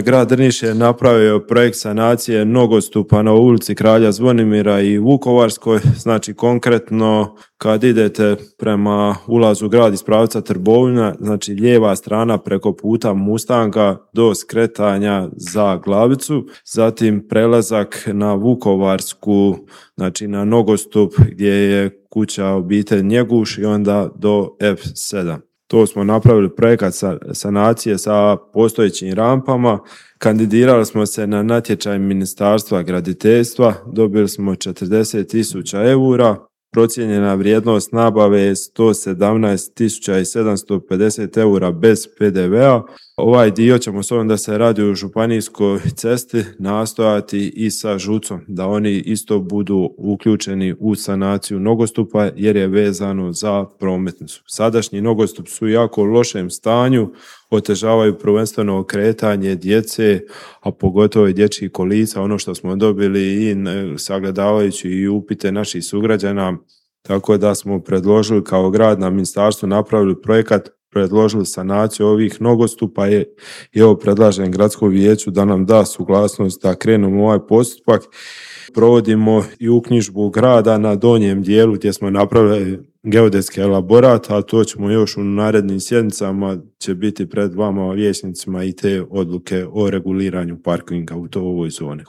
Grad Drniš je napravio projekt sanacije nogostupa na ulici Kralja Zvonimira i Vukovarskoj. Znači konkretno kad idete prema ulazu u grad iz pravca Trbovlja, znači lijeva strana preko puta Mustanga do skretanja za Glavicu, zatim prelazak na Vukovarsku, znači na nogostup gdje je kuća obitelj Njeguš i onda do F7. To smo napravili projekat sanacije sa postojećim rampama. Kandidirali smo se na natječaj Ministarstva graditeljstva, dobili smo 40.000 eura, procijenjena vrijednost nabave je 117.750 eura bez PDV-a. Ovaj dio ćemo s obzirom da se radi o županijskoj cesti nastojati i sa ŽUC-om, da oni isto budu uključeni u sanaciju nogostupa jer je vezano za prometnicu. Sadašnji nogostup su u jako lošem stanju, otežavaju prvenstveno kretanje djece, a pogotovo i dječjih kolica, ono što smo dobili i sagledavajući i upite naših sugrađana, tako da smo predložili kao grad na ministarstvu, napravili projekat, predložili sanaciju ovih nogostupa i evo predlažem gradskom vijeću da nam da suglasnost da krenemo u ovaj postupak. Provodimo i uknjižbu grada na donjem dijelu gdje smo napravili geodetski elaborat, a to ćemo još u narednim sjednicama će biti pred vama vijećnicima i te odluke o reguliranju parkinga u ovoj zoni.